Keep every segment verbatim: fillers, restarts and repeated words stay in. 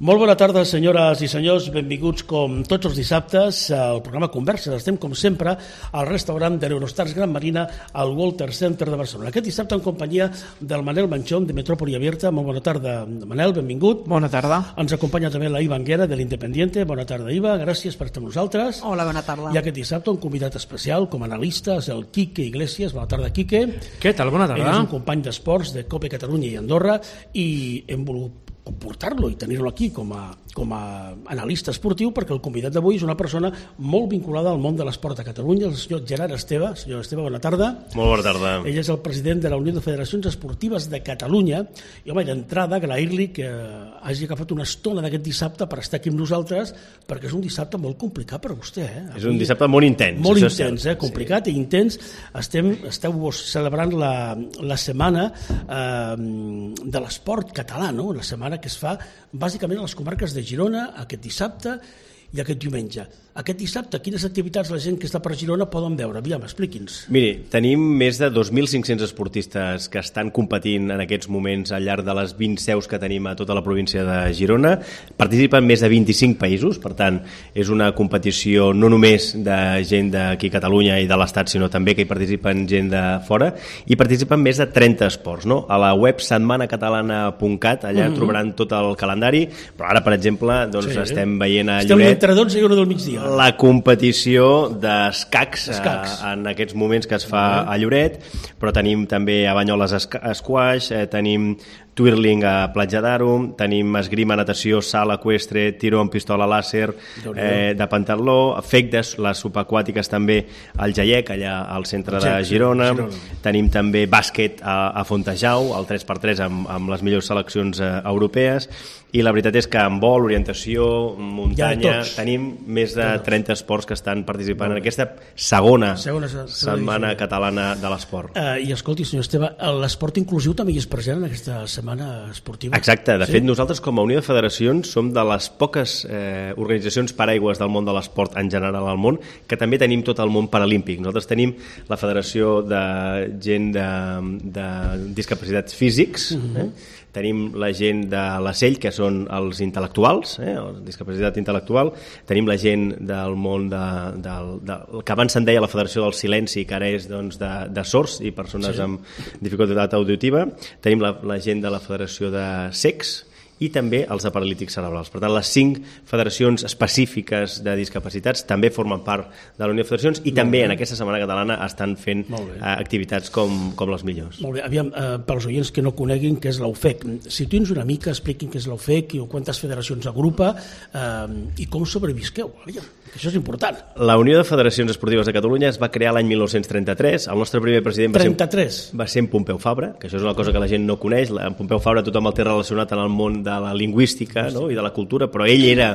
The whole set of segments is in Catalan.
Molt bona tarda, senyores i senyors. Benvinguts, com tots els dissabtes, al programa Converses. Estem, com sempre, al restaurant de l'Eurostars Gran Marina, al Walter Center de Barcelona. Aquest dissabte en companyia del Manel Manchón, de Metròpoli Abierta. Molt bona tarda, Manel, benvingut. Bona tarda. Ens acompanya també la Iva Anguera, de l'Independiente. Bona tarda, Iva. Gràcies per estar amb nosaltres. Hola, bona tarda. I aquest dissabte un convidat especial com a analista és el Quique Iglesias. Bona tarda, Quique. Què tal? Bona tarda. Ell és un company d'esports de COPE Catalunya i Andorra i hem volgut portar-lo i tenir-lo aquí com a, com a analista esportiu, perquè el convidat d'avui és una persona molt vinculada al món de l'esport a Catalunya, el senyor Gerard Esteve. Senyor Esteve, bona tarda. Molt bona tarda. Ell és el president de la Unió de Federacions Esportives de Catalunya i, home, d'entrada agrair-li que hagi agafat una estona d'aquest dissabte per estar aquí amb nosaltres, perquè és un dissabte molt complicat per a vostè. Eh? Avui, és un dissabte molt intens. Molt intens, eh? Complicat sí. i intens. Estem, esteu celebrant la, la setmana eh, de l'esport català, no? Una setmana que es fa bàsicament a les comarques de Girona aquest dissabte i aquest diumenge. Aquest dissabte, quines activitats la gent que està per Girona poden veure? Aviam, expliqui'ns. Miri, tenim més de dos mil cinc-cents esportistes que estan competint en aquests moments al llarg de les vint seus que tenim a tota la província de Girona. Participen més de vint-i-cinc països, per tant, és una competició no només de gent d'aquí a Catalunya i de l'Estat, sinó també que hi participen gent de fora, i participen més de trenta esports. No? A la web setmana catalana punt cat, allà mm-hmm. trobaran tot el calendari, però ara, per exemple, doncs, sí. estem veient a Lloret... Estem entre dotze i una del migdia. La competició d'escacs eh, en aquests moments que es fa a Lloret, però tenim també a Banyoles esquaix, eh, tenim twirling a Platja d'Aro, tenim esgrima, natació, salt eqüestre, tiro amb pistola làser, eh, de pentatló, fectes, les subaquàtiques també al Jaiec, allà al centre de Girona. Girona. Tenim també bàsquet a, a Fontejau, el tres per tres amb, amb les millors seleccions eh, europees, i la veritat és que en vol, orientació, muntanya, ja tenim més de trenta esports que estan participant en aquesta segona, segona setmana catalana de l'esport. Uh, I escolti, senyor Esteve, l'esport inclusiu també hi és present en aquesta setmana esportiva? Exacte, de sí? fet nosaltres com a Unió de Federacions som de les poques eh, organitzacions paraigües del món de l'esport en general al món que també tenim tot el món paralímpic. Nosaltres tenim la Federació de gent de, de discapacitats físics, uh-huh. eh? Tenim la gent de la S E L, que són els intel·lectuals, eh, la discapacitat intel·lectual, tenim la gent del món de, de, de, de, que abans se'n deia la Federació del Silenci, que ara és doncs, de, de sords i persones sí. amb dificultat auditiva, tenim la, la gent de la Federació de Cecs, i també els de paralítics cerebrals. Per tant, les cinc federacions específiques de discapacitats també formen part de la Unió de Federacions i també en aquesta Setmana Catalana estan fent uh, activitats com, com les millors. Molt bé. Aviam, uh, pels oients que no coneguin què és l'U F E C, situï'ns una mica, expliquin què és l'U F E C i quantes federacions agrupa uh, i com sobrevisqueu. Aviam, que això és important. La Unió de Federacions Esportives de Catalunya es va crear l'any mil nou-cents trenta-tres. El nostre primer president va trenta-tres. ser, va ser en Pompeu Fabra, que això és una cosa que la gent no coneix. En Pompeu Fabra tothom el té relacionat en el món de la lingüística, no? I de la cultura, però ell era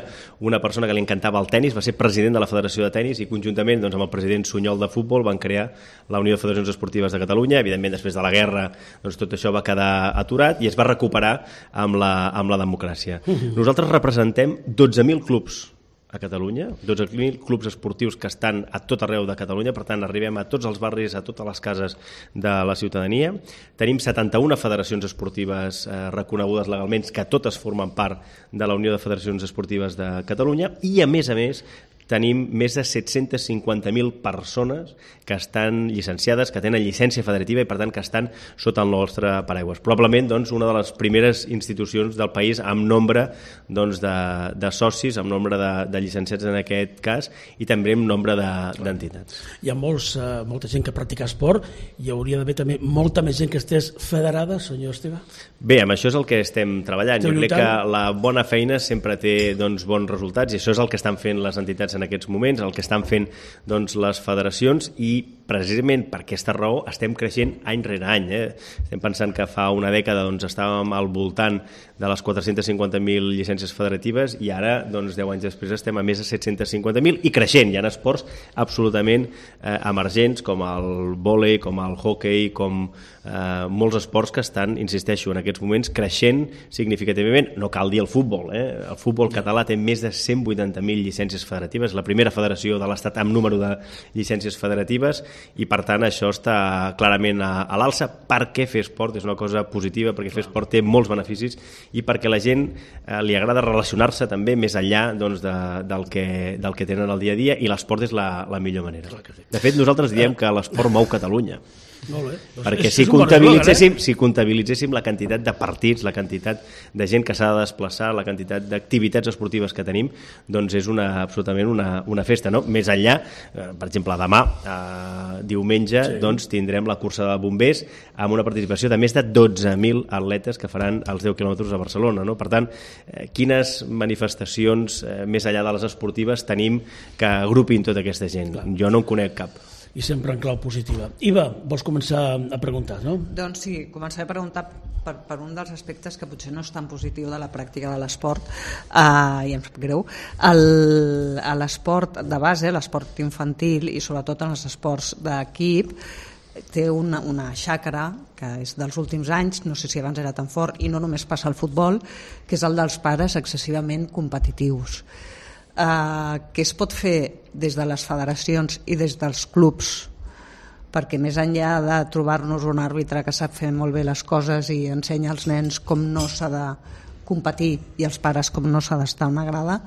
una persona que li encantava el tennis, va ser president de la Federació de Tennis i conjuntament doncs, amb el president Sunyol de Futbol van crear la Unió de Federacions Esportives de Catalunya. Evidentment, després de la guerra doncs, tot això va quedar aturat i es va recuperar amb la, amb la democràcia. Nosaltres representem dotze mil clubs a Catalunya, dotze mil clubs esportius que estan a tot arreu de Catalunya, per tant arribem a tots els barris, a totes les cases de la ciutadania. Tenim setanta-una federacions esportives eh, reconegudes legalment, que totes formen part de la Unió de Federacions Esportives de Catalunya i, a més a més, tenim més de set-cents cinquanta mil persones que estan llicenciades, que tenen llicència federativa i per tant que estan sota el nostre paraigües. Probablement doncs, una de les primeres institucions del país amb nombre doncs, de, de socis, amb nombre de, de llicenciats en aquest cas i també amb nombre d'entitats. De, Hi ha molts, uh, molta gent que practica esport i hi hauria d'haver també molta més gent que estés federada, senyor Esteve? Bé, amb això és el que estem treballant. Esteu jo crec lluitant? Que la bona feina sempre té doncs, bons resultats i això és el que estan fent les entitats en aquests moments, el que estan fent doncs, les federacions i precisament per aquesta raó estem creixent any rere any. Eh? Estem pensant que fa una dècada doncs, estàvem al voltant de les quatre-cents cinquanta mil llicències federatives i ara, doncs, deu anys després, estem a més de set-cents cinquanta mil i creixent. Hi ha esports absolutament eh, emergents com el vòlei, com el hoquei, com eh, molts esports que estan, insisteixo, en aquests moments creixent significativament. No cal dir el futbol. Eh? El futbol català té més de cent vuitanta mil llicències federatives, la primera federació de l'Estat amb número de llicències federatives i per tant això està clarament a, a l'alça, perquè fer esport és una cosa positiva, perquè fer esport té molts beneficis i perquè la gent eh, li agrada relacionar-se també més enllà doncs, de, del, que, del que tenen al dia a dia, i l'esport és la, la millor manera. De fet, nosaltres diem que l'esport mou Catalunya. Molt bé. Perquè si comptabilitzéssim, si comptabilitzéssim la quantitat de partits, la quantitat de gent que s'ha de desplaçar, la quantitat d'activitats esportives que tenim, doncs és una, absolutament una, una festa, no? Més enllà, eh, per exemple, demà, eh, diumenge, sí. doncs tindrem la cursa de bombers amb una participació de més de dotze mil atletes que faran els deu quilòmetres a Barcelona, no? Per tant, eh, quines manifestacions eh, més enllà de les esportives tenim que agrupin tota aquesta gent? Clar. Jo no en conec cap. I sempre en clau positiva. Iva, vols començar a preguntar, no? Doncs sí, començaré a preguntar per, per un dels aspectes que potser no és tan positiu de la pràctica de l'esport, eh, i em sap greu. El, a l'esport de base, l'esport infantil i sobretot en els esports d'equip, té una, una xacra que és dels últims anys, no sé si abans era tan fort, i no només passa al futbol, que és el dels pares excessivament competitius. Uh, què es pot fer des de les federacions i des dels clubs, perquè més enllà de trobar-nos un àrbitre que sap fer molt bé les coses i ensenya als nens com no s'ha de competir i als pares com no s'ha d'estar a una grada,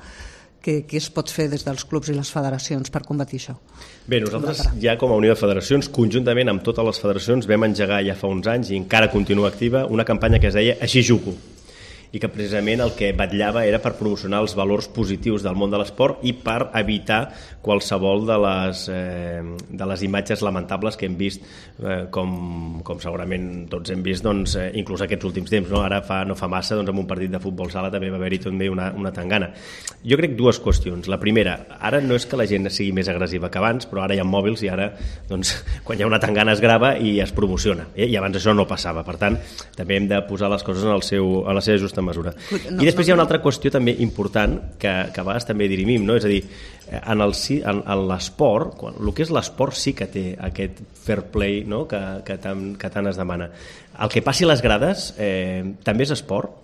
què, què es pot fer des dels clubs i les federacions per combatir això? Bé, nosaltres ja com a Unió de Federacions, conjuntament amb totes les federacions, vam engegar ja fa uns anys i encara continua activa una campanya que es deia Així jugo, i que precisament el que vetllava era per promocionar els valors positius del món de l'esport i per evitar qualsevol de les, eh, de les imatges lamentables que hem vist, eh, com, com segurament tots hem vist, doncs, eh, inclús aquests últims temps, no? Ara fa, no fa massa, doncs, en un partit de futbol sala també va haver-hi també una, una tangana. Jo crec dues qüestions. La primera, ara no és que la gent sigui més agressiva que abans, però ara hi ha mòbils i ara, doncs, quan hi ha una tangana es grava i es promociona, eh? I abans això no passava. Per tant, també hem de posar les coses en, el seu, en la seva justa mesura. I després hi ha una altra qüestió també important que, que a vegades també dirimim, no? És a dir, en, el, en, en l'esport, quan, el que és l'esport sí que té aquest fair play, no? que, que, tant, que tant es demana. El que passi a les grades eh, també és esport?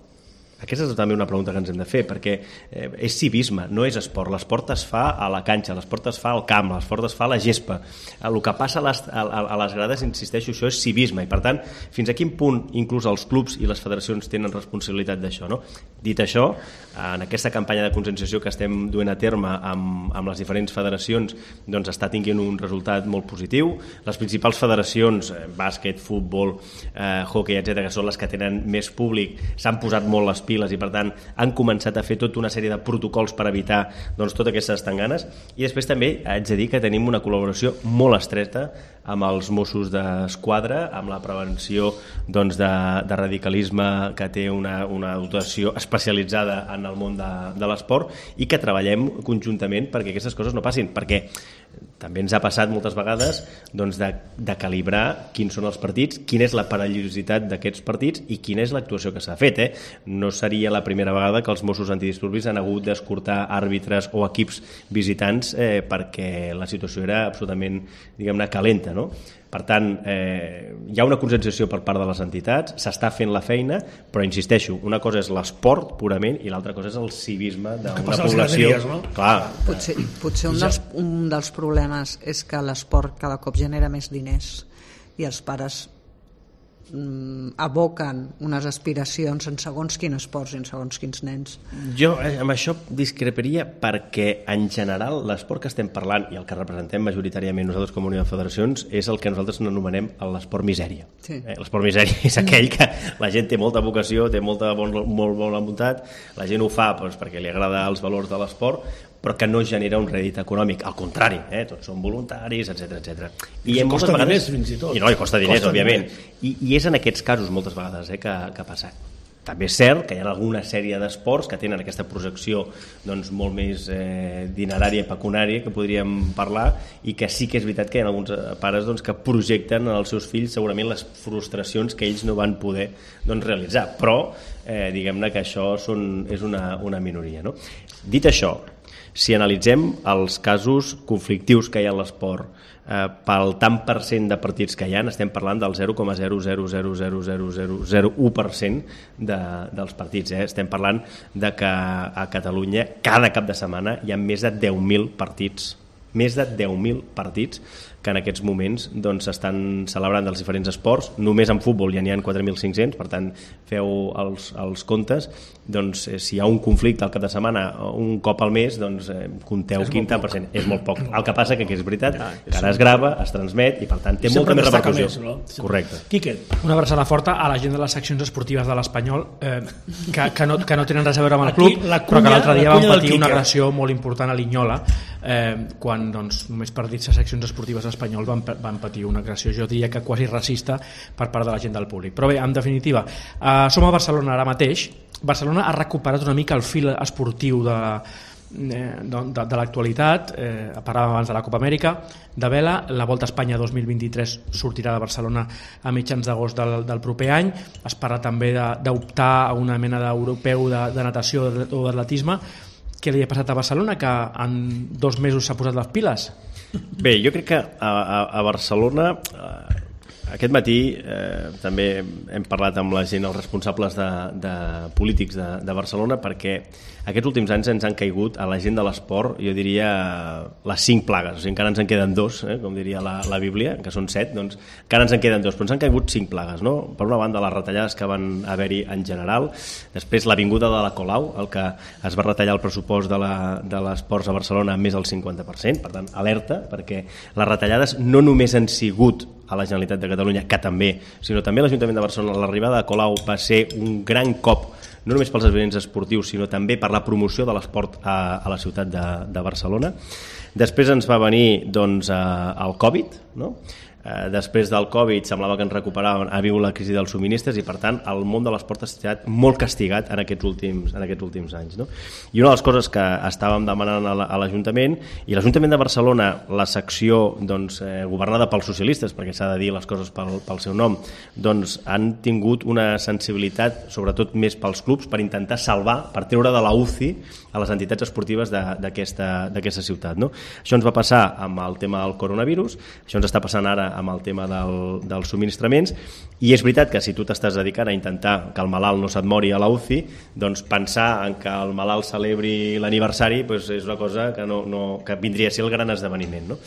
Aquesta és també una pregunta que ens hem de fer, perquè eh, és civisme, no és esport. L'esport es fa a la canxa, l'esport es fa al camp, l'esport es fa a la gespa. El que passa a les, a, a les grades, insisteixo, això és civisme, i per tant, fins a quin punt inclús els clubs i les federacions tenen responsabilitat d'això, no? Dit això, en aquesta campanya de conscienciació que estem duent a terme amb, amb les diferents federacions, doncs està tinguent un resultat molt positiu. Les principals federacions, eh, bàsquet, futbol, eh, hockey, etcètera, que són les que tenen més públic, s'han posat molt les piles i per tant han començat a fer tota una sèrie de protocols per evitar doncs, totes aquestes tanganes. I després també haig de dir que tenim una col·laboració molt estreta amb els Mossos d'Esquadra, amb la prevenció doncs, de, de radicalisme, que té una, una dotació especialitzada en el món de, de l'esport, i que treballem conjuntament perquè aquestes coses no passin, perquè també ens ha passat moltes vegades doncs, de, de calibrar quins són els partits, quina és la perillositat d'aquests partits i quina és l'actuació que s'ha fet. Eh? No seria la primera vegada que els Mossos antidisturbis han hagut d'escortar àrbitres o equips visitants eh, perquè la situació era absolutament, diguem-ne, calenta, no? Per tant, eh, hi ha una conscienciació per part de les entitats, s'està fent la feina, però insisteixo, una cosa és l'esport purament i l'altra cosa és el civisme d'una població. No? Clar. Potser, potser un, dels, un dels problemes és que l'esport cada cop genera més diners i els pares mm, aboquen unes aspiracions en segons quins esports i en segons quins nens. Jo eh, amb això discreparia perquè en general l'esport que estem parlant i el que representem majoritàriament nosaltres com a Unió de Federacions és el que nosaltres anomenem l'esport misèria. Sí. Eh, l'esport misèria és aquell que la gent té molta vocació, té molta bon, molt bona voluntat, la gent ho fa doncs, perquè li agrada els valors de l'esport, però que no genera un rèdit econòmic. Al contrari, eh? Tots són voluntaris, etcètera, etcètera. I, I costa vegades... diners, fins i tot. I no, i costa diners, costa òbviament. I, I és en aquests casos, moltes vegades, eh, que, que passa. També és cert que hi ha alguna sèrie d'esports que tenen aquesta projecció doncs, molt més eh, dinerària i pecunària que podríem parlar, i que sí que és veritat que hi ha alguns pares doncs, que projecten als seus fills segurament les frustracions que ells no van poder doncs, realitzar. Però eh, diguem-ne que això són, és una, una minoria. No? Dit això, si analitzem els casos conflictius que hi ha a l'esport, eh, pel tant per cent de partits que hi ha, estem parlant del zero coma zero zero zero zero zero zero zero u per cent de, dels partits. Eh? Estem parlant de que a Catalunya cada cap de setmana hi ha més de deu mil partits més de deu mil partits que en aquests moments doncs, s'estan celebrant dels diferents esports. Només en futbol ja n'hi ha quatre mil cinc-cents, per tant, feu els, els comptes. Doncs, eh, si hi ha un conflicte al cap de setmana un cop al mes, doncs eh, compteu quin tant per cent. És molt poc. El que passa que, que és veritat, que ara es grava, es transmet i per tant té molta més repercussió. Més, no? Correcte. Quique. Una abraçada forta a la gent de les seccions esportives de l'Espanyol eh, que, que, no, que no tenen res a veure amb el club, Aquí, cunya, però que l'altre dia van patir una agressió molt important a Linyola eh, quan doncs, només per dir-se seccions esportives espanyol van, van patir una agressió, jo diria que quasi racista per part de la gent del públic. Però bé, en definitiva, eh, som a Barcelona ara mateix. Barcelona ha recuperat una mica el fil esportiu de, de, de, de l'actualitat. Eh, parlàvem abans de la Copa Amèrica de vela. La Volta a Espanya dos mil vint-i-tres sortirà de Barcelona a mitjans d'agost del, del proper any. Es parla també d'optar a una mena d'europeu de, de natació o d'atletisme. Què li ha passat a Barcelona, que en dos mesos s'ha posat les piles? Bé, jo crec que a, a, a Barcelona eh, aquest matí eh, també hem parlat amb la gent, els responsables de, de polítics de, de Barcelona, perquè aquests últims anys ens han caigut a la gent de l'esport, jo diria, les cinc plagues. O sigui, encara ens en queden dos, eh, com diria la, la Bíblia, que són set, doncs encara ens en queden dos, però ens han caigut cinc plagues, no? Per una banda, les retallades que van haver-hi en general, després la vinguda de la Colau, el que es va retallar el pressupost de l'esports a Barcelona més del cinquanta per cent, per tant, alerta, perquè les retallades no només han sigut a la Generalitat de Catalunya, que també, sinó també a l'Ajuntament de Barcelona. L'arribada de Colau va ser un gran cop, no només pels esdeveniments esportius, sinó també per la promoció de l'esport a, a la ciutat de, de Barcelona. Després ens va venir doncs, el Covid, no? Eh, després del Covid semblava que ens recuperàvem, ha vingut la crisi dels subministres i per tant el món de l'esport ha estat molt castigat en aquests últims, en aquests últims anys, no? I una de les coses que estàvem demanant a l'Ajuntament, i l'Ajuntament de Barcelona, la secció doncs, eh, governada pels socialistes, perquè s'ha de dir les coses pel, pel seu nom, doncs han tingut una sensibilitat sobretot més pels clubs per intentar salvar, per treure de la U C I a les entitats esportives d'aquesta ciutat, no? Això ens va passar amb el tema del coronavirus, això ens està passant ara amb el tema del, dels subministraments, i és veritat que si tu t'estàs dedicant a intentar que el malalt no se't mori a la U C I, doncs pensar en que el malalt celebri l'aniversari doncs és una cosa que, no, no, que vindria a ser el gran esdeveniment, no?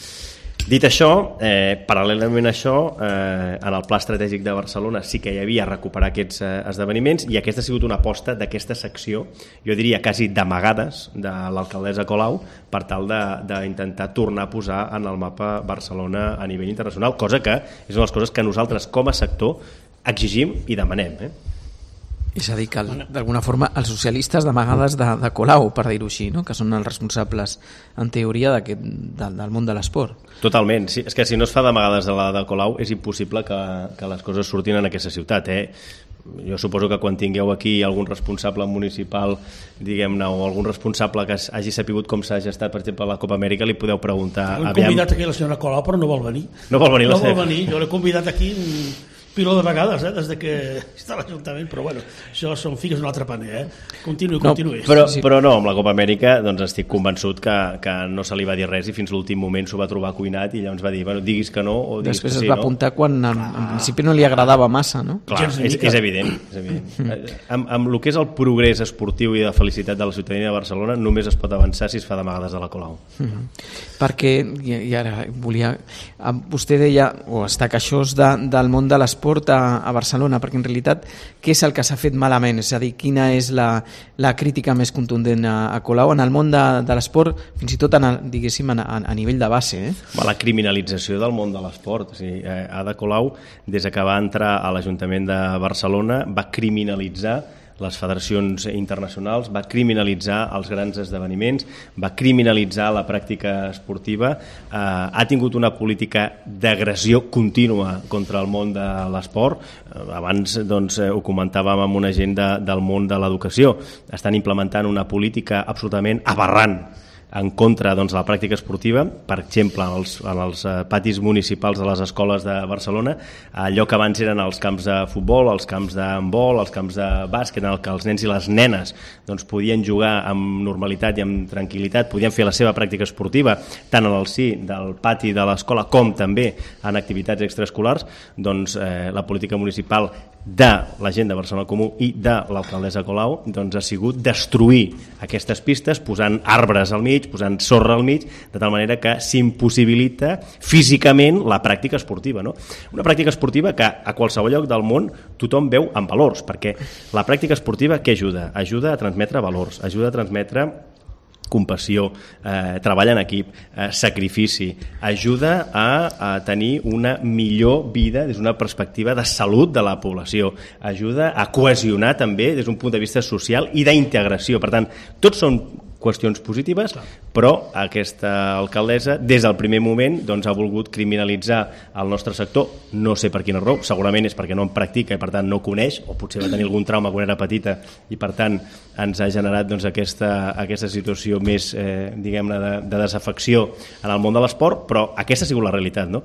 Dit això, eh, paral·lelament a això, eh, en el Pla Estratègic de Barcelona sí que hi havia recuperar aquests eh, esdeveniments, i aquesta ha sigut una aposta d'aquesta secció, jo diria quasi d'amagades, de l'alcaldessa Colau, per tal d'intentar tornar a posar en el mapa Barcelona a nivell internacional, cosa que és una de les coses que nosaltres com a sector exigim i demanem, eh? És a dir, que d'alguna forma els socialistes d'amagades de, de Colau, per dir-ho així, no? Que són els responsables en teoria del, del món de l'esport. Totalment, sí, és que si no es fa d'amagades de la de Colau és impossible que, que les coses surtin en aquesta ciutat, eh? Jo suposo que quan tingueu aquí algun responsable municipal, diguem-ne, o algun responsable que hagi sapigut com s'ha gestat, per exemple, la Copa Amèrica, li podeu preguntar... He convidat aquí la senyora Colau, però no vol venir. No vol venir la no vol venir. Jo l'he convidat aquí piló de vegades, eh, des de que està a l'Ajuntament, però bueno, això són figues d'un altre paner, eh? Continuï, continuï. No, però, però no, amb la Copa Amèrica doncs estic convençut que, que no se li va dir res i fins l'últim moment s'ho va trobar cuinat i llavors va dir, bueno, diguis que no o diguis després que sí, es va no? apuntar quan en, en principi no li agradava massa, no? Clar, és, és evident, és evident. Mm. Amb, amb el que és el progrés esportiu i de felicitat de la ciutadania de Barcelona només es pot avançar si es fa d'amagades a la Colau. Mm -hmm. Perquè, i, i ara volia, vostè deia, o està queixós de, del món de l'esport a, a Barcelona, perquè en realitat què és el que s'ha fet malament? És a dir, quina és la, la crítica més contundent a, a Colau en el món de, de l'esport, fins i tot en el, diguéssim, a, a nivell de base, eh? La criminalització del món de l'esport. O sigui, Ada Colau, des que va entrar a l'Ajuntament de Barcelona, va criminalitzar les federacions internacionals, va criminalitzar els grans esdeveniments, va criminalitzar la pràctica esportiva, eh, ha tingut una política d'agressió contínua contra el món de l'esport. Eh, abans doncs, ho comentàvem amb una gent de, del món de l'educació. Estan implementant una política absolutament aberrant en contra doncs, de la pràctica esportiva, per exemple, en els, en els patis municipals de les escoles de Barcelona, allò que abans eren els camps de futbol, els camps d'handbol, els camps de bàsquet, en el que els nens i les nenes doncs, podien jugar amb normalitat i amb tranquil·litat, podien fer la seva pràctica esportiva, tant en el si del pati de l'escola com també en activitats extraescolars, doncs eh, la política municipal de la gent de Barcelona Comú i de l'alcaldessa Colau doncs ha sigut destruir aquestes pistes posant arbres al mig, posant sorra al mig, de tal manera que s'impossibilita físicament la pràctica esportiva, no? Una pràctica esportiva que a qualsevol lloc del món tothom veu amb valors, perquè la pràctica esportiva què ajuda? Ajuda a transmetre valors, ajuda a transmetre compassió, eh, treball en equip, eh, sacrifici, ajuda a, a tenir una millor vida des d'una perspectiva de salut de la població, ajuda a cohesionar també des d'un punt de vista social i d'integració. Per tant, tots són qüestions positives, però aquesta alcaldessa des del primer moment doncs, ha volgut criminalitzar el nostre sector, no sé per quina raó, segurament és perquè no en practica i per tant no coneix, o potser va tenir algun trauma quan era petita i per tant ens ha generat doncs, aquesta, aquesta situació més eh, diguem-ne de, de desafecció en el món de l'esport, però aquesta ha sigut la realitat, no?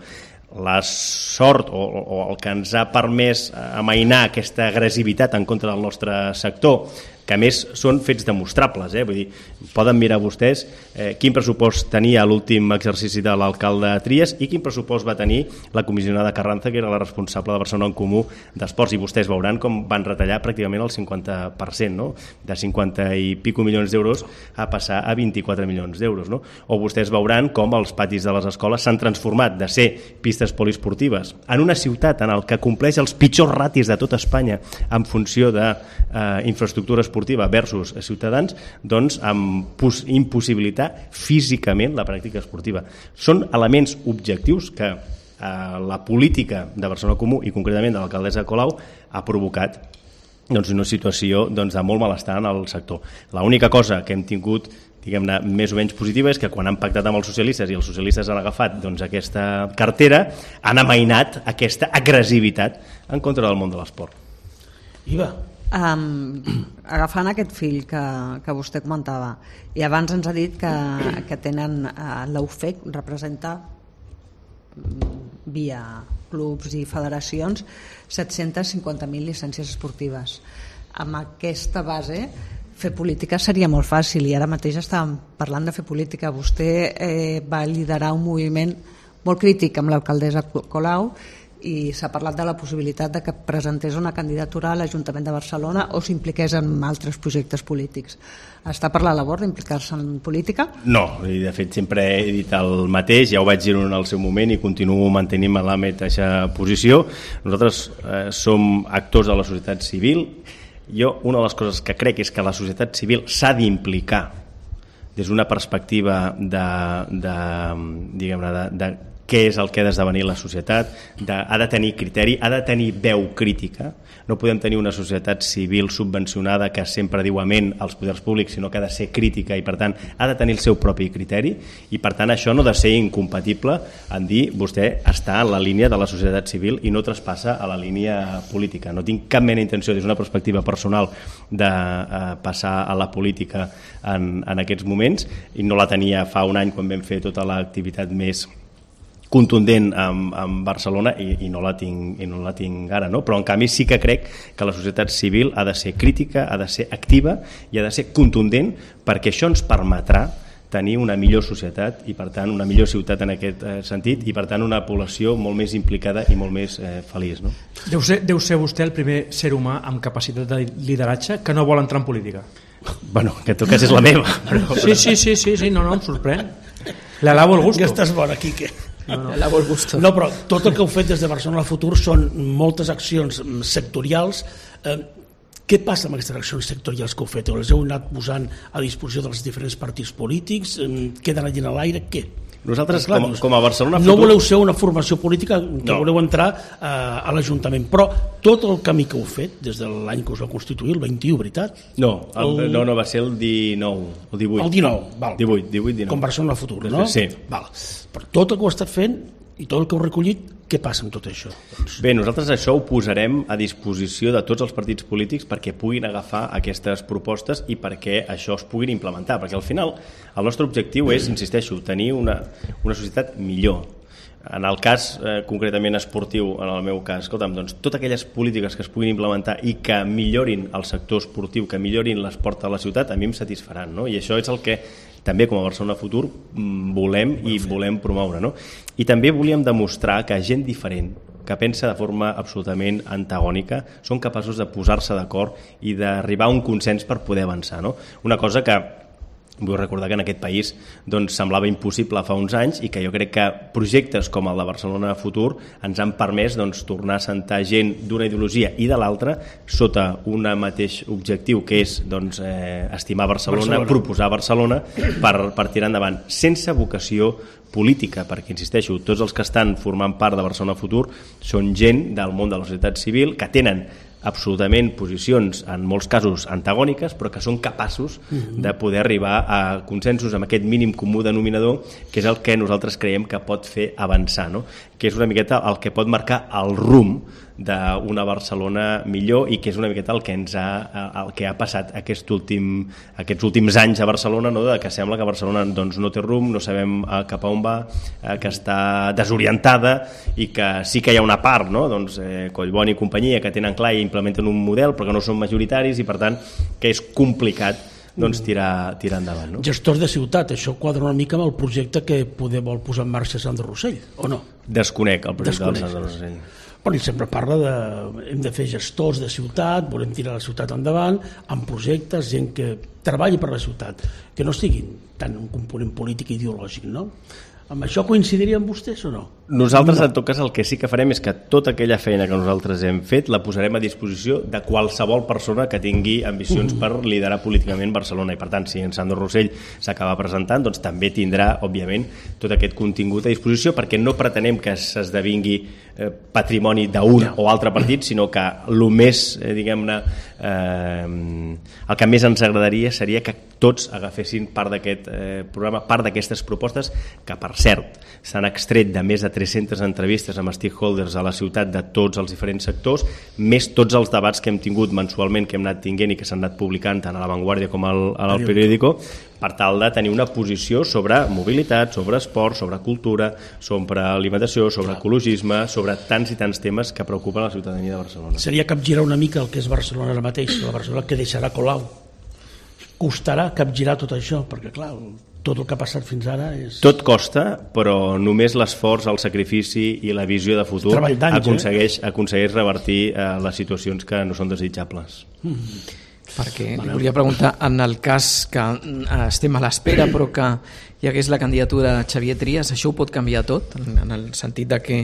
La sort o, o el que ens ha permès amainar aquesta agressivitat en contra del nostre sector, que a més són fets demostrables, eh? Vull dir, poden mirar vostès eh, quin pressupost tenia l'últim exercici de l'alcalde Trias i quin pressupost va tenir la comissionada Carranza, que era la responsable de Barcelona en Comú d'Esports, i vostès veuran com van retallar pràcticament el cinquanta per cent, no? De cinquanta i pico milions d'euros a passar a vint-i-quatre milions d'euros, no? O vostès veuran com els patis de les escoles s'han transformat de ser pistes poliesportives en una ciutat en el que compleix els pitjors ratis de tot Espanya en funció d'infraestructura eh, esportiva versus ciutadans, doncs amb impossibilitar físicament la pràctica esportiva. Són elements objectius que eh, la política de Barcelona Comú i concretament de l'alcaldessa Colau ha provocat doncs, una situació doncs, de molt malestar en el sector. L'única cosa que hem tingut diguem-ne, més o menys positiva és que quan han pactat amb els socialistes i els socialistes han agafat doncs, aquesta cartera, han amainat aquesta agressivitat en contra del món de l'esport. Iva? Um, agafant aquest fill que, que vostè comentava, i abans ens ha dit que, que tenen uh, l'U F E C, representa via clubs i federacions set-cents cinquanta mil llicències esportives. Amb aquesta base fer política seria molt fàcil i ara mateix estàvem parlant de fer política. Vostè eh, va liderar un moviment molt crític amb l'alcaldessa Colau i s'ha parlat de la possibilitat de que presentés una candidatura a l'Ajuntament de Barcelona o s'impliqués en altres projectes polítics. Està per la labor d'implicar-se en política? No, i de fet sempre he dit el mateix, ja ho vaig dir en el seu moment i continuo mantenint la mateixa posició. Nosaltres eh, som actors de la societat civil. Jo, una de les coses que crec és que la societat civil s'ha d'implicar des d'una perspectiva de, de, diguem-ne, de, de què és el que ha d'esdevenir la societat, de, ha de tenir criteri, ha de tenir veu crítica. No podem tenir una societat civil subvencionada que sempre diu amén als poders públics, sinó que ha de ser crítica i per tant ha de tenir el seu propi criteri i per tant això no ha de ser incompatible en dir vostè està en la línia de la societat civil i no traspassa a la línia política. No tinc cap mena d'intenció des d'una perspectiva personal de eh, passar a la política en, en aquests moments i no la tenia fa un any quan vam fer tota l'activitat més contundent amb, amb Barcelona i, i, no la tinc, i no la tinc ara, no? Però en canvi sí que crec que la societat civil ha de ser crítica, ha de ser activa i ha de ser contundent perquè això ens permetrà tenir una millor societat i per tant una millor ciutat en aquest eh, sentit i per tant una població molt més implicada i molt més eh, feliç, no? Deu ser, deu ser vostè el primer ser humà amb capacitat de lideratge que no vol entrar en política. Bueno, que en tot cas és la meva. Però... Sí, sí, sí, sí, sí, no, no, em sorprèn. Le lavo el gusto. Ja estàs bona, Quique. No, no. La vol gusto. No, però tot el que heu fet des de Barcelona Futur són moltes accions sectorials. Eh, què passa amb aquestes accions sectorials que heu fet? Les heu anat posant a disposició dels diferents partits polítics? Eh, queden allà a l'aire? Què? Nosaltres, clar, com, com a Barcelona no Futur... voleu ser una formació política que no. voleu entrar eh, a l'Ajuntament, però tot el camí que heu fet des de l'any que us va constituir, el vint-i-u, veritat? No, el, el... no, no, va ser el dinou, el divuit. El dinou, val. divuit, divuit, dinou. Com Barcelona Futur, no? Sí. Val. Però tot el que heu estat fent i tot el que heu recollit, què passa amb tot això? Doncs... Bé, nosaltres això ho posarem a disposició de tots els partits polítics perquè puguin agafar aquestes propostes i perquè això es puguin implementar, perquè al final el nostre objectiu és, insisteixo, tenir una, una societat millor. En el cas eh, concretament esportiu, en el meu cas, escolta'm, doncs totes aquelles polítiques que es puguin implementar i que millorin el sector esportiu, que millorin l'esport a la ciutat, a mi em satisfaran, no? I això és el que també com a Barcelona Futur volem i volem promoure, no? I també volíem demostrar que gent diferent, que pensa de forma absolutament antagònica, són capaços de posar-se d'acord i d'arribar a un consens per poder avançar, no? Una cosa que vull recordar que en aquest país doncs, semblava impossible fa uns anys i que jo crec que projectes com el de Barcelona Futur ens han permès doncs, tornar a sentar gent d'una ideologia i de l'altra sota un mateix objectiu, que és doncs, eh, estimar Barcelona, Barcelona, proposar Barcelona per, per tirar endavant, sense vocació política, perquè, insisteixo, tots els que estan formant part de Barcelona Futur són gent del món de la societat civil que tenen absolutament posicions en molts casos antagòniques, però que són capaços de poder arribar a consensos amb aquest mínim comú denominador, que és el que nosaltres creiem que pot fer avançar, no? Que és una miqueta el que pot marcar el rumb d'una Barcelona millor i que és una miqueta el que ens ha, el que ha passat aquest últim, aquests últims anys a Barcelona, no? De que sembla que Barcelona doncs, no té rumb, no sabem cap a on va, que està desorientada i que sí que hi ha una part, no? Doncs, eh, Collboni i companyia que tenen clar i implementen un model però que no són majoritaris i per tant que és complicat doncs, tirar, tirar endavant. No? Gestors de ciutat, això quadra una mica amb el projecte que poder vol posar en marxa Sandro Rossell, o no? Desconec el projecte Desconec. del Sandro Rossell. Bueno, ell sempre parla de hem de fer gestors de ciutat, volem tirar la ciutat endavant, amb projectes, gent que treballi per la ciutat, que no siguin tant un component polític i ideològic, no? Amb això coincidiria amb vostès o no? Nosaltres, en tot cas, el que sí que farem és que tota aquella feina que nosaltres hem fet la posarem a disposició de qualsevol persona que tingui ambicions per liderar políticament Barcelona. I, per tant, si en Sandro Rossell s'acaba presentant, doncs també tindrà, òbviament, tot aquest contingut a disposició, perquè no pretenem que s'esdevingui eh, patrimoni d'un o altre partit, sinó que el més, eh, diguem-ne, eh, el que més ens agradaria seria que tots agafessin part d'aquest eh, programa, part d'aquestes propostes, que, per cert, s'han extret de més de tres-centes entrevistes amb stakeholders a la ciutat de tots els diferents sectors, més tots els debats que hem tingut mensualment, que hem anat tinguent i que s'han anat publicant tant a La Vanguardia com al, al Periódico, per tal de tenir una posició sobre mobilitat, sobre esport, sobre cultura, sobre alimentació, sobre ecologisme, sobre tants i tants temes que preocupen la ciutadania de Barcelona. Seria capgirar una mica el que és Barcelona ara mateix, la Barcelona que deixarà Colau. Costarà capgirar tot això, perquè clar, tot el que ha passat fins ara és... Tot costa, però només l'esforç, el sacrifici i la visió de futur aconsegueix, eh? aconsegueix revertir eh, les situacions que no són desitjables. Mm. Perquè li volia preguntar, en el cas que estem a l'espera però que hi hagués la candidatura de Xavier Trias, això ho pot canviar tot, en el sentit de que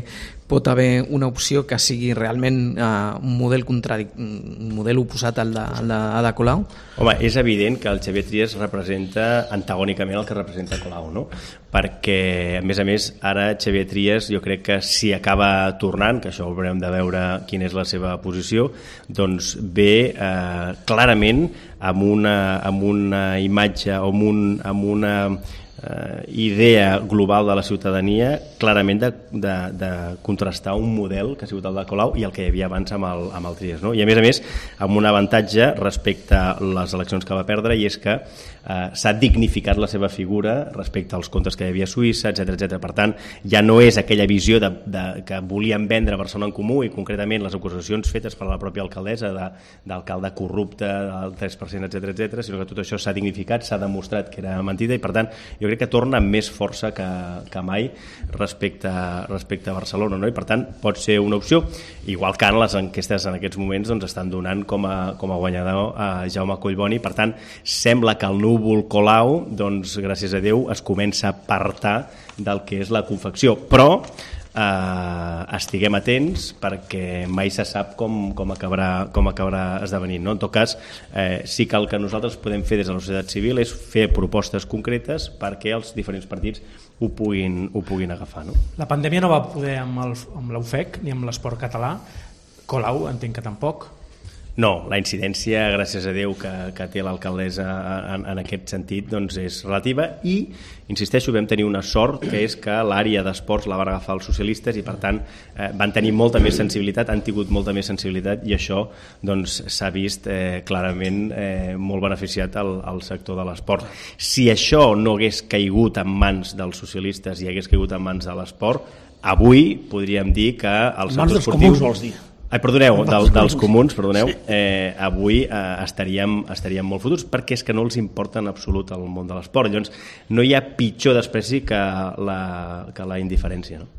pot haver una opció que sigui realment uh, un model contradic un model oposat al de, al de Ada Colau? Home, és evident que el Xavier Trias representa antagònicament el que representa Colau, no? Perquè, a més a més, ara Xavier Trias jo crec que si acaba tornant, que això ho haurem de veure quina és la seva posició, doncs ve eh, clarament amb una, amb una imatge o amb, un, amb una eh, idea global de la ciutadania clarament de, de, de contrastar un model que ha sigut el de Colau i el que hi havia abans amb el, amb el Trias, no? I a més a més amb un avantatge respecte a les eleccions que va perdre, i és que eh, s'ha dignificat la seva figura respecte als comptes que hi havia a Suïssa, etcètera, etcètera. Per tant, ja no és aquella visió de, de, que volien vendre Barcelona en Comú i concretament les acusacions fetes per la pròpia alcaldessa d'alcalde corrupte del tres per cent, etcètera, etcètera, sinó que tot això s'ha dignificat, s'ha demostrat que era mentida i per tant jo crec que torna amb més força que, que mai respecte, respecte a Barcelona, no? I per tant pot ser una opció, igual que en les enquestes en aquests moments doncs, estan donant com a, com a guanyador a Jaume Collboni. Per tant, sembla que el núvol Colau, doncs, gràcies a Déu, es comença a apartar del que és la confecció, però eh, estiguem atents perquè mai se sap com, com, acabarà, com acabarà esdevenint, no? En tot cas, eh, sí que el que nosaltres podem fer des de la societat civil és fer propostes concretes perquè els diferents partits ho puguin, ho puguin agafar, no? La pandèmia no va poder amb, el, amb l'U F E C ni amb l'esport català. Colau entenc que tampoc. No, la incidència, gràcies a Déu, que, que té l'alcaldessa en, en aquest sentit, doncs és relativa i, insisteixo, vam tenir una sort, que és que l'àrea d'esports la van agafar els socialistes i, per tant, eh, van tenir molta més sensibilitat, han tingut molta més sensibilitat i això doncs, s'ha vist eh, clarament eh, molt beneficiat al, al sector de l'esport. Si això no hagués caigut en mans dels socialistes i hagués caigut en mans de l'esport, avui podríem dir que el sector esportiu... Comuns, vols dir? Ai, perdoneu, del, dels comuns, perdoneu, eh, avui eh, estaríem, estaríem molt fotuts perquè és que no els importa en absolut el món de l'esport. Llavors, no hi ha pitjor despreci que la, que la indiferència, no?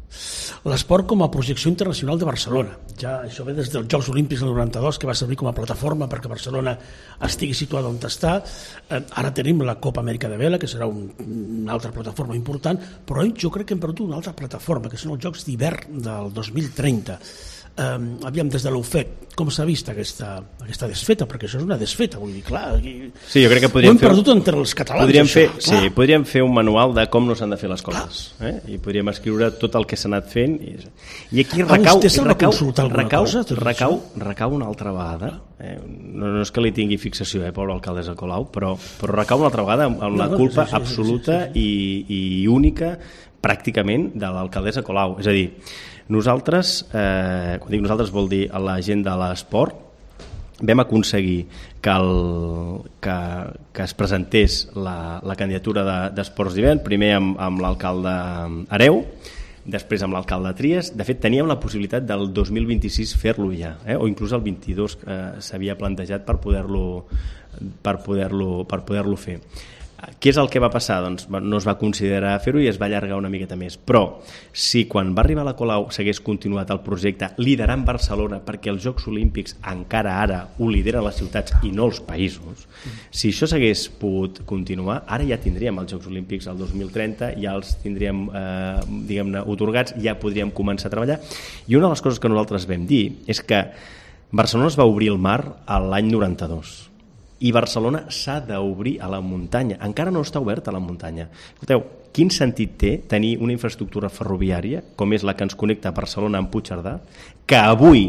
L'esport com a projecció internacional de Barcelona. Ja això ve des dels Jocs Olímpics del noranta-dos, que va servir com a plataforma perquè Barcelona estigui situada on està. Eh, ara tenim la Copa Amèrica de Vela, que serà un, una altra plataforma important, però jo crec que hem perdut una altra plataforma, que són els Jocs d'hivern del dos mil trenta. Um, aviam, des de l'U F E C, com s'ha vist aquesta, aquesta desfeta? Perquè això és una desfeta, vull dir, clar, aquí... Sí, jo crec que podríem ho hem fer... perdut entre els catalans, podríem això, fer, sí, podríem fer un manual de com no s'han de fer les coses, eh? I podríem escriure tot el que s'ha anat fent, i, i aquí recau, recau, recau, recau, recau una altra vegada, eh? no, no és que li tingui fixació, eh, pobre alcaldessa Colau, però, però recau una altra vegada amb, amb la culpa sí, sí, absoluta sí, sí, sí. I, i única, pràcticament, de l'alcaldessa Colau, és a dir, nosaltres, eh, quan dic nosaltres vol dir a la gent de l'esport, vam aconseguir que, el, que, que es presentés la, la candidatura d'Esports d'hivern, primer amb, amb l'alcalde Hereu, després amb l'alcalde Trias. De fet, teníem la possibilitat del dos mil vint-i-sis fer-lo ja, eh? O inclús el vint-i-dos eh, s'havia plantejat per poder-lo per poder-lo per poder-lo fer. Què és el que va passar? Doncs no es va considerar fer-ho i es va allargar una miqueta més. Però si quan va arribar la Colau s'hagués continuat el projecte liderant Barcelona, perquè els Jocs Olímpics encara ara ho lideren les ciutats i no els països, si això s'hagués pogut continuar, ara ja tindríem els Jocs Olímpics el dos mil trenta, ja els tindríem eh, diguem-ne otorgats, ja podríem començar a treballar. I una de les coses que nosaltres vam dir és que Barcelona es va obrir el mar l'any noranta-dos. I Barcelona s'ha d'obrir a la muntanya. Encara no està oberta a la muntanya. Escolteu, quin sentit té tenir una infraestructura ferroviària, com és la que ens connecta a Barcelona amb Puigcerdà, que avui,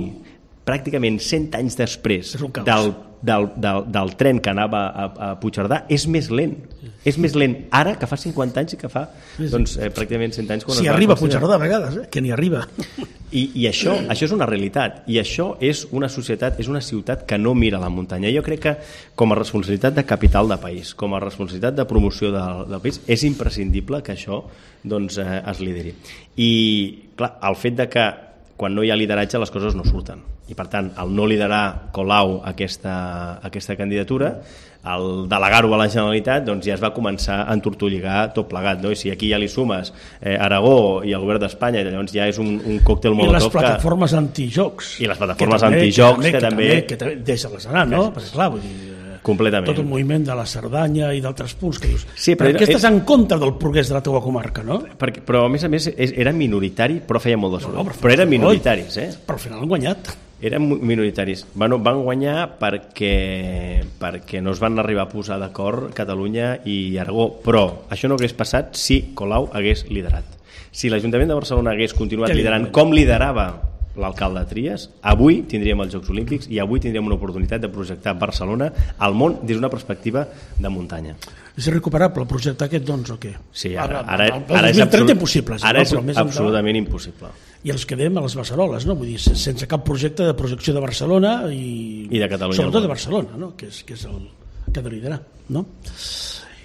pràcticament cent anys després del, del, del, del tren que anava a, a Puigcerdà, és més lent. És més lent ara que fa cinquanta anys i que fa doncs, eh, pràcticament cent anys. Quan si arriba a Puigcerdà a vegades, eh? Que n'hi arriba. I, i això, això és una realitat, i això és una societat, és una ciutat que no mira la muntanya. Jo crec que com a responsabilitat de capital de país, com a responsabilitat de promoció del, del país, és imprescindible que això doncs, eh, es lideri. I clar, el fet de que quan no hi ha lideratge les coses no surten. I per tant, el no liderar Colau aquesta, aquesta candidatura, el delegar-ho a la Generalitat, doncs ja es va començar a entortolligar tot plegat, no? I si aquí ja li sumes eh, Aragó i el govern d'Espanya, llavors ja és un, un còctel molotov. I les plataformes que... antijocs. I les plataformes antijocs que, que, que també... Que també, deixa-les anar, no? Perquè clar, vull dir... Completament. Tot el moviment de la Cerdanya i d'altres punts que dius, sí, però perquè era, estàs en contra del progrés de la teva comarca, no? Perquè, però a més a més era minoritari, però feia molt de soroll. No, no, però, però eren minoritaris, eh? Però al final han guanyat. Eren minoritaris. Bueno, van guanyar perquè, perquè no es van arribar a posar d'acord Catalunya i Aragó, però això no hagués passat si Colau hagués liderat. Si l'Ajuntament de Barcelona hagués continuat liderant com liderava l'alcalde Trias, avui tindríem els Jocs Olímpics i avui tindríem una oportunitat de projectar Barcelona al món des d'una perspectiva de muntanya. És irrecuperable el projecte aquest, doncs, o què? Sí, ara, ara, ara, ara és, absolut, impossible, ara és absolutament impossible. I ens quedem a les beceroles, no? Vull dir, sense cap projecte de projecció de Barcelona i, I de Catalunya. Sobretot de Barcelona, no? Que és, que és el que ha de liderar, no?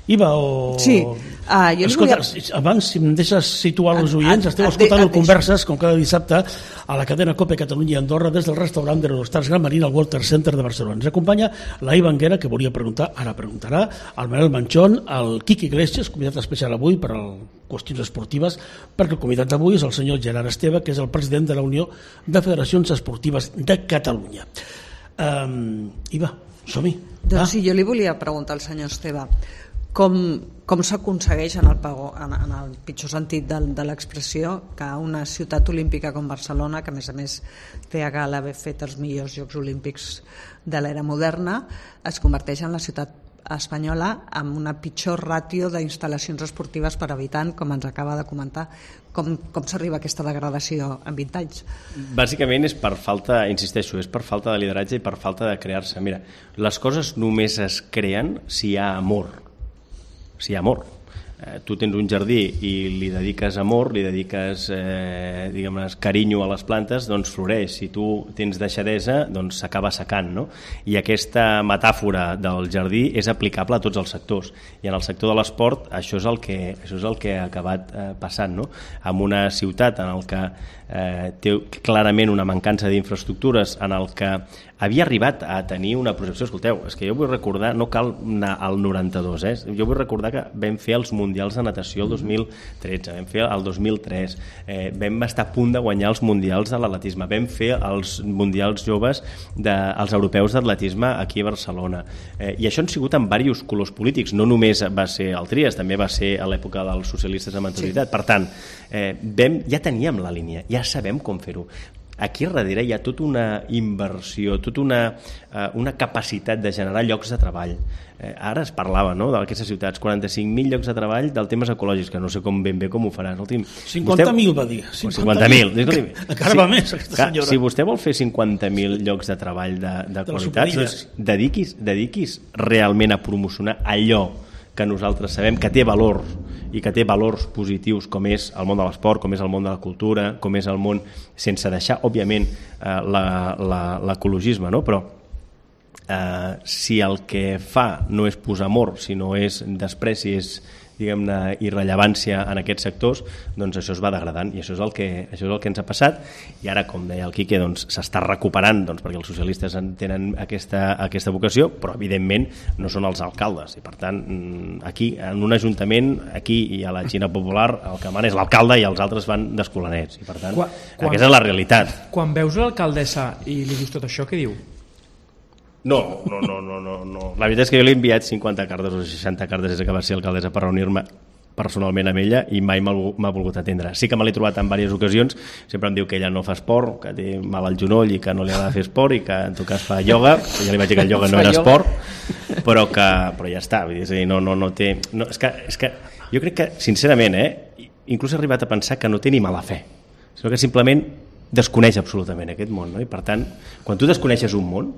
Iva, o... Sí, uh, jo Escolta, volia... abans, si em deixes situar els oients, a, a, esteu escoltant el Converses, com cada dissabte, a la cadena COPE Catalunya i Andorra, des del restaurant de l'Hostars Gran Marina al Walter Center de Barcelona. Ens acompanya la Iva Anguera, que volia preguntar, ara preguntarà, el Manel Manchón, el Quique Iglesias, convidat especial avui per a qüestions esportives, perquè el convidat d'avui és el senyor Gerard Esteve, que és el president de la Unió de Federacions Esportives de Catalunya. Um, Iva, som-hi. Doncs ah. sí, jo li volia preguntar al senyor Esteve, com, com s'aconsegueix en, el pago, en, en el pitjor sentit de, de l'expressió que una ciutat olímpica com Barcelona, que a més a més té a gala haver fet els millors Jocs Olímpics de l'era moderna, es converteix en la ciutat espanyola amb una pitjor ràtio d'instal·lacions esportives per habitant, com ens acaba de comentar. Com, com s'arriba a aquesta degradació en vint anys? Bàsicament és per falta, insisteixo, és per falta de lideratge i per falta de crear-se. Mira, les coses només es creen si hi ha amor. Si hi ha amor. eh, tu tens un jardí i li dediques amor, li dediques eh, diguem-ne, carinyo a les plantes, doncs floreix. Si tu tens deixadesa, doncs s'acaba secant, no? I aquesta metàfora del jardí és aplicable a tots els sectors, i en el sector de l'esport això és el que, això és el que ha acabat eh, passant, no? En una ciutat en el que eh, té clarament una mancança d'infraestructures, en el que havia arribat a tenir una projecció. Escolteu, és que jo vull recordar, no cal anar al noranta-dos, eh? Jo vull recordar que vam fer els Mundials de Natació el dos mil tretze, vam fer el dos mil tres, eh, vam estar a punt de guanyar els Mundials de l'atletisme, vam fer els Mundials joves dels europeus d'atletisme aquí a Barcelona, eh, i això han sigut en diversos colors polítics, no només va ser el Trias, també va ser a l'època dels socialistes amb anterioritat. Sí. Per tant, eh, vam, ja teníem la línia, ja sabem com fer-ho. Aquí darrere hi ha tota una inversió, tota una, uh, una capacitat de generar llocs de treball. Eh, ara es parlava, no?, d'aquestes ciutats, quaranta-cinc mil llocs de treball del temes ecològics, que no sé com ben bé com ho faràs. cinquanta mil va dir. cinquanta mil. Encara va més, aquesta senyora. Si vostè vol fer cinquanta mil llocs de treball de, de, de qualitat, doncs dediquis, dediquis realment a promocionar allò que nosaltres sabem que té valor i que té valors positius, com és el món de l'esport, com és el món de la cultura, com és el món, sense deixar, òbviament, eh, l'ecologisme, no? Però eh, si el que fa no és posar amor, sinó és despreci, és, diguem-ne, irrellevància en aquests sectors, doncs això es va degradant, i això és el que, això és el que ens ha passat. I ara, com deia el Quique, doncs s'està recuperant, doncs, perquè els socialistes tenen aquesta, aquesta vocació, però evidentment no són els alcaldes, i per tant aquí, en un ajuntament, aquí i a la Xina Popular, el que mana és l'alcalde i els altres van d'escolanets, i per tant quan, quan, aquesta és la realitat. Quan veus l'alcaldessa i li dius tot això, què diu? No, no, no, no, no, no. La veritat és que jo li he enviat cinquanta cartes o seixanta cartes des que va ser alcaldessa per reunir-me personalment amb ella i mai m'ha volgut atendre. Sí que me l'he trobat en diverses ocasions, sempre em diu que ella no fa esport, que té mal al genoll i que no li ha de fer esport i que en tot cas fa ioga, ja li vaig dir que el ioga no era esport, però que però ja està, vull dir, és a dir, no, no, no té... No, és, que, és que jo crec que, sincerament, eh, inclús he arribat a pensar que no té ni mala fe, sinó que simplement desconeix absolutament aquest món, no? I per tant, quan tu desconeixes un món,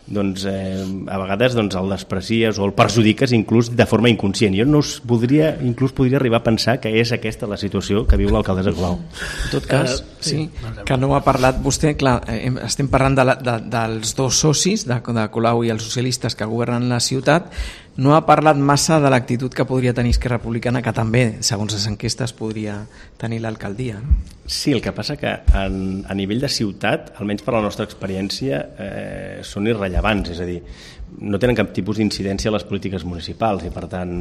doncs eh, a vegades doncs, el desprecies o el perjudiques inclús de forma inconscient. Jo no us voldria, inclús podria arribar a pensar que és aquesta la situació que viu l'alcaldessa Colau. En tot cas, uh, sí, que no ha parlat vostè, clar, eh, estem parlant de la, de, dels dos socis, de, de Colau i els socialistes que governen la ciutat, no ha parlat massa de l'actitud que podria tenir Esquerra Republicana, que també, segons les enquestes, podria tenir l'alcaldia. Sí, el que passa que en, a nivell de ciutat, almenys per la nostra experiència, eh, són irrellevants, és a dir, no tenen cap tipus d'incidència a les polítiques municipals i per tant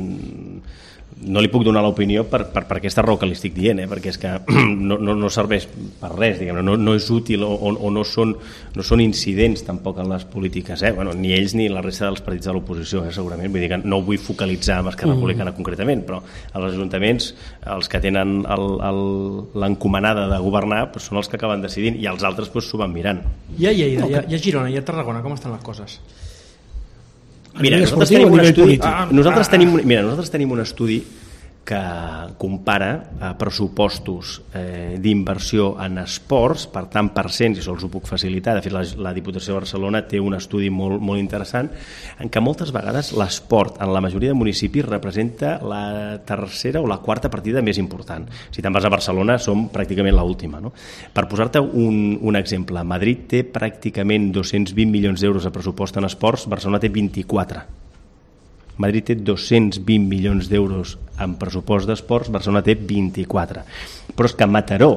no li puc donar l'opinió per, per, per aquesta raó que li estic dient, eh? Perquè és que no, no, no serveix per res, diguem, no, no és útil o, o no, són, no són incidents tampoc en les polítiques, eh? Bueno, ni ells ni la resta dels partits de l'oposició, eh? Segurament, vull dir que no ho vull focalitzar amb Esquerra Republicana mm. concretament, però als ajuntaments els que tenen l'encomanada de governar doncs són els que acaben decidint i els altres s'ho van mirant. I a Lleida, i a, i a Girona, i a Tarragona, com estan les coses? Mira, nosaltres tenim un estudi, ah, nosaltres tenim, mira, nosaltres tenim un estudi que compara eh, pressupostos eh, d'inversió en esports, per tant per cents, i això els ho puc facilitar, de fet la, la Diputació de Barcelona té un estudi molt, molt interessant en què moltes vegades l'esport en la majoria de municipis representa la tercera o la quarta partida més important. Si te'n vas a Barcelona som pràcticament l'última, no? Per posar-te un, un exemple, Madrid té pràcticament dos-cents vint milions d'euros de pressupost en esports, Barcelona té vint-i-quatre. Madrid té dos-cents vint milions d'euros en pressupost d'esports, Barcelona té vint-i-quatre. Però és que Mataró,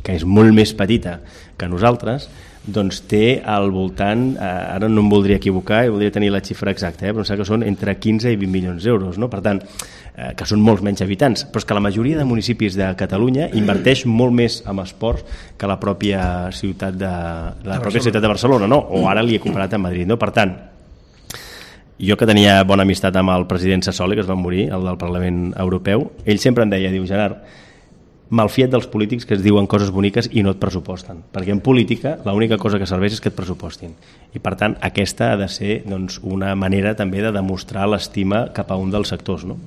que és molt més petita que nosaltres, doncs té al voltant, eh, ara no em voldria equivocar, i voldria tenir la xifra exacta, eh, però em sembla que són entre quinze i vint milions d'euros, no? Per tant, eh, que són molts menys habitants, però és que la majoria de municipis de Catalunya inverteix molt més en esports que la pròpia ciutat de, la pròpia ciutat de Barcelona, no? O ara li he comparat amb Madrid, no? Per tant, jo que tenia bona amistat amb el president Sassoli, que es va morir, el del Parlament Europeu, ell sempre em deia, diu, Gerard, malfia't dels polítics que es diuen coses boniques i no et pressuposten, perquè en política l'única cosa que serveix és que et pressupostin. I per tant, aquesta ha de ser doncs, una manera també de demostrar l'estima cap a un dels sectors, no?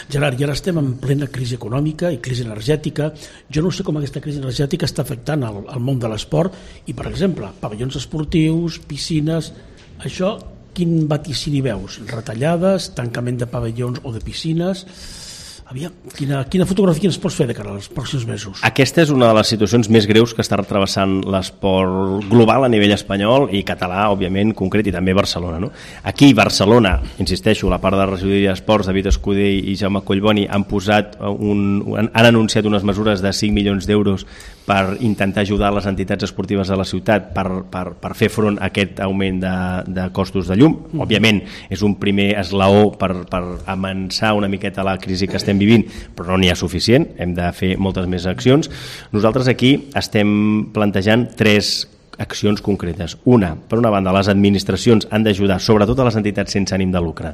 Gerard, i ara estem en plena crisi econòmica i crisi energètica. Jo no sé com aquesta crisi energètica està afectant el, el món de l'esport i, per exemple, pavellons esportius, piscines, això... Quin vaticini veus? Retallades, tancament de pavellons o de piscines? Aviam, quina, quina fotografia ens pots fer de cara als pròxims mesos? Aquesta és una de les situacions més greus que està travessant l'esport global a nivell espanyol i català, òbviament, concret, i també Barcelona. No? Aquí, Barcelona, insisteixo, la part de regidoria d'esports, David Escudé i Jaume Collboni han posat un, han anunciat unes mesures de cinc milions d'euros per intentar ajudar les entitats esportives de la ciutat per, per, per fer front a aquest augment de, de costos de llum. Òbviament, és un primer esglaó per, per amansar una miqueta la crisi que estem vivint, però no n'hi ha suficient, hem de fer moltes més accions. Nosaltres aquí estem plantejant tres accions concretes. Una, per una banda, les administracions han d'ajudar, sobretot a les entitats sense ànim de lucre,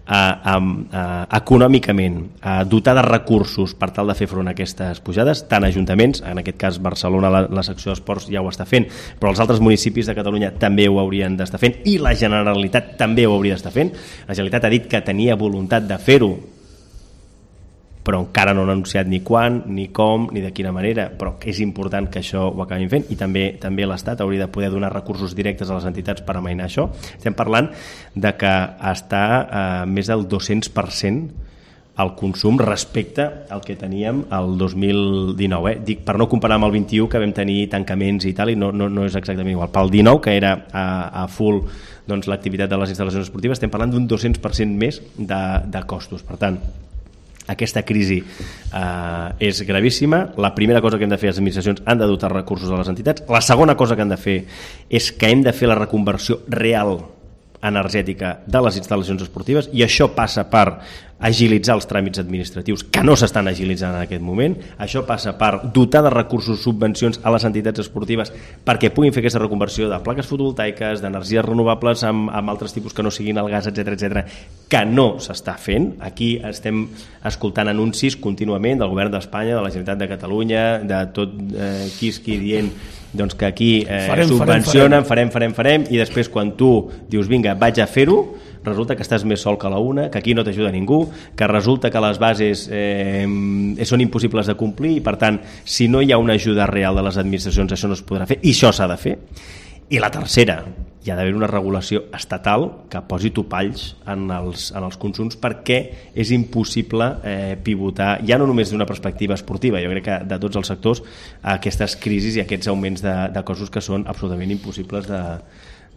a, a, a, econòmicament, a dotar de recursos per tal de fer front a aquestes pujades, tant ajuntaments, en aquest cas Barcelona, la, la secció d'esports ja ho està fent, però els altres municipis de Catalunya també ho haurien d'estar fent i la Generalitat també ho hauria d'estar fent. La Generalitat ha dit que tenia voluntat de fer-ho, però encara no han anunciat ni quan, ni com, ni de quina manera, però és important que això ho acabin fent, i també també l'Estat hauria de poder donar recursos directes a les entitats per amainar això. Estem parlant de que està a més del dos-cents per cent el consum respecte al que teníem el dos mil dinou. Eh? Dic, per no comparar amb el vint-i-u, que vam tenir tancaments i tal, i no, no, no és exactament igual. Pel dinou, que era a, a full doncs, l'activitat de les instal·lacions esportives, estem parlant d'un dos-cents per cent més de, de costos. Per tant, aquesta crisi eh, és gravíssima. La primera cosa que hem de fer, les administracions han de dotar recursos a les entitats. La segona cosa que hem de fer és que hem de fer la reconversió real energètica de les instal·lacions esportives, i això passa per agilitzar els tràmits administratius que no s'estan agilitzant en aquest moment. Això passa per dotar de recursos, subvencions a les entitats esportives perquè puguin fer aquesta reconversió de plaques fotovoltaiques, d'energies renovables amb, amb altres tipus que no siguin el gas, etcètera, etcètera, que no s'està fent. Aquí estem escoltant anuncis contínuament del govern d'Espanya, de la Generalitat de Catalunya, de tot eh, quisqui dient doncs que aquí eh, farem, subvencionen, farem, farem, farem, i després quan tu dius vinga, vaig a fer-ho, resulta que estàs més sol que la una, que aquí no t'ajuda ningú, que resulta que les bases eh, són impossibles de complir, i per tant, si no hi ha una ajuda real de les administracions, això no es podrà fer, i això s'ha de fer. I la tercera, hi ha d'haver una regulació estatal que posi topalls en els, en els consums, perquè és impossible eh, pivotar, ja no només d'una perspectiva esportiva, jo crec que de tots els sectors, aquestes crisis i aquests augments de, de costos que són absolutament impossibles de,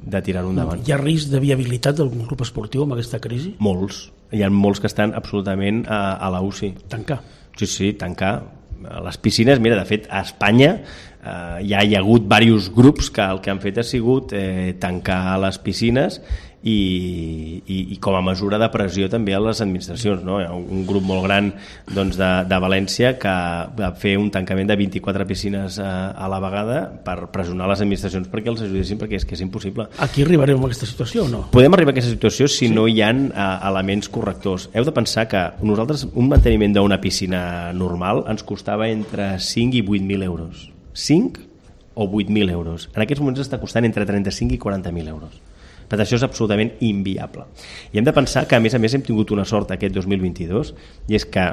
de tirar-ho endavant. Hi ha risc de viabilitat d'algun grup esportiu amb aquesta crisi? Molts. Hi ha molts que estan absolutament a, a la U C I. Tancar? Sí, sí, tancar. Les piscines, mira, de fet, a Espanya eh, ja hi ha hagut diversos grups que el que han fet ha sigut eh, tancar les piscines i, i, i com a mesura de pressió també a les administracions. No? Hi ha un grup molt gran doncs, de, de València que va fer un tancament de vint-i-quatre piscines a, a la vegada per pressionar les administracions perquè els ajudessin, perquè és que és impossible. Aquí arribarem a aquesta situació o no? Podem arribar a aquesta situació si sí. no hi ha uh, elements correctors. Heu de pensar que nosaltres un manteniment d'una piscina normal ens costava entre cinc i vuit mil euros. cinc o vuit mil euros. En aquests moments està costant entre trenta-cinc i quaranta mil euros. Per tant, això és absolutament inviable. I hem de pensar que, a més a més, hem tingut una sort aquest dos mil vint-i-dos, i és que,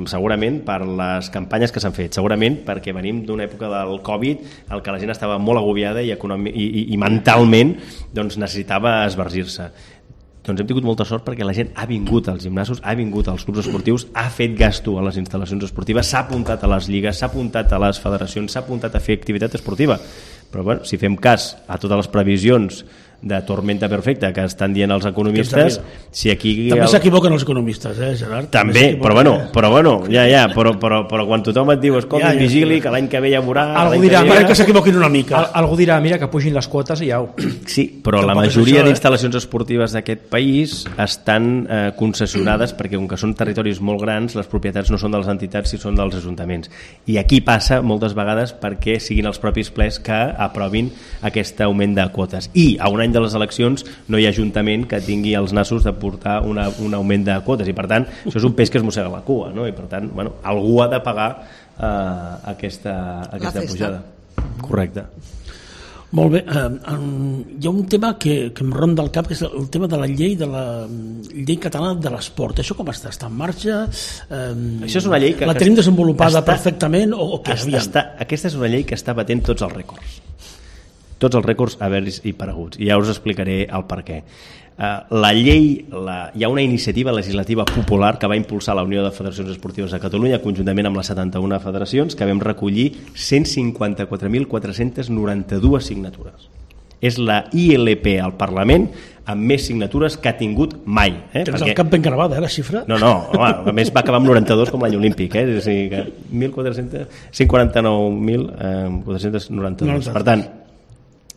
segurament, per les campanyes que s'han fet, segurament perquè venim d'una època del Covid, en què la gent estava molt agobiada i, econòmic, i, i, i mentalment doncs, necessitava esvergir-se. Doncs hem tingut molta sort perquè la gent ha vingut als gimnasos, ha vingut als clubs esportius, ha fet gasto a les instal·lacions esportives, s'ha apuntat a les lligues, s'ha apuntat a les federacions, s'ha apuntat a fer activitat esportiva. Però bueno, si fem cas a totes les previsions de tormenta perfecta que estan dient els economistes, si aquí... També el... s'equivoquen els economistes, eh, Gerard? També, també però bueno, però bueno, ja, ja, però, però, però quan tothom et diu, escolta, ja, ja, vigili, ja. que l'any que ve ja veurà... Algú dirà, que, que s'equivoquin una mica. Al, algú dirà, mira, que pugin les quotes i ja ho... Sí, però Tampoc la majoria d'instal·lacions eh? esportives d'aquest país estan eh, concessionades perquè, com que són territoris molt grans, les propietats no són de les entitats, sinó són dels ajuntaments. I aquí passa moltes vegades perquè siguin els propis plens que aprovin aquest augment de quotes. I a un any de les eleccions no hi ha ajuntament que tingui els nassos de portar una, un augment de quotes, i per tant això és un peix que es mossega la cua, no? I per tant, bueno, algú ha de pagar eh, aquesta, aquesta pujada. Correcte. Molt bé, eh, um, hi ha un tema que, que em ronda al cap, que és el tema de la llei de la llei catalana de l'esport. Això com està? Està en marxa? Eh, Això és una llei que... La tenim desenvolupada està, perfectament? O, o què? Està, està, aquesta és una llei que està batent tots els rècords. tots els rècords haver-hi apareguts, i ja us explicaré el per què. La llei, la, hi ha una iniciativa legislativa popular que va impulsar la Unió de Federacions Esportives de Catalunya conjuntament amb les setanta-una federacions, que vam recollir cent cinquanta-quatre mil quatre-cents noranta-dues signatures. És la I L P al Parlament amb més signatures que ha tingut mai. Eh? Tens el cap ben gravada, eh, la xifra? No, no, home, a més va acabar amb noranta-dos com l'any olímpic, eh? És a dir, que mil quatre-cents, cent quaranta-nou mil quatre-cents noranta-dos. Per tant,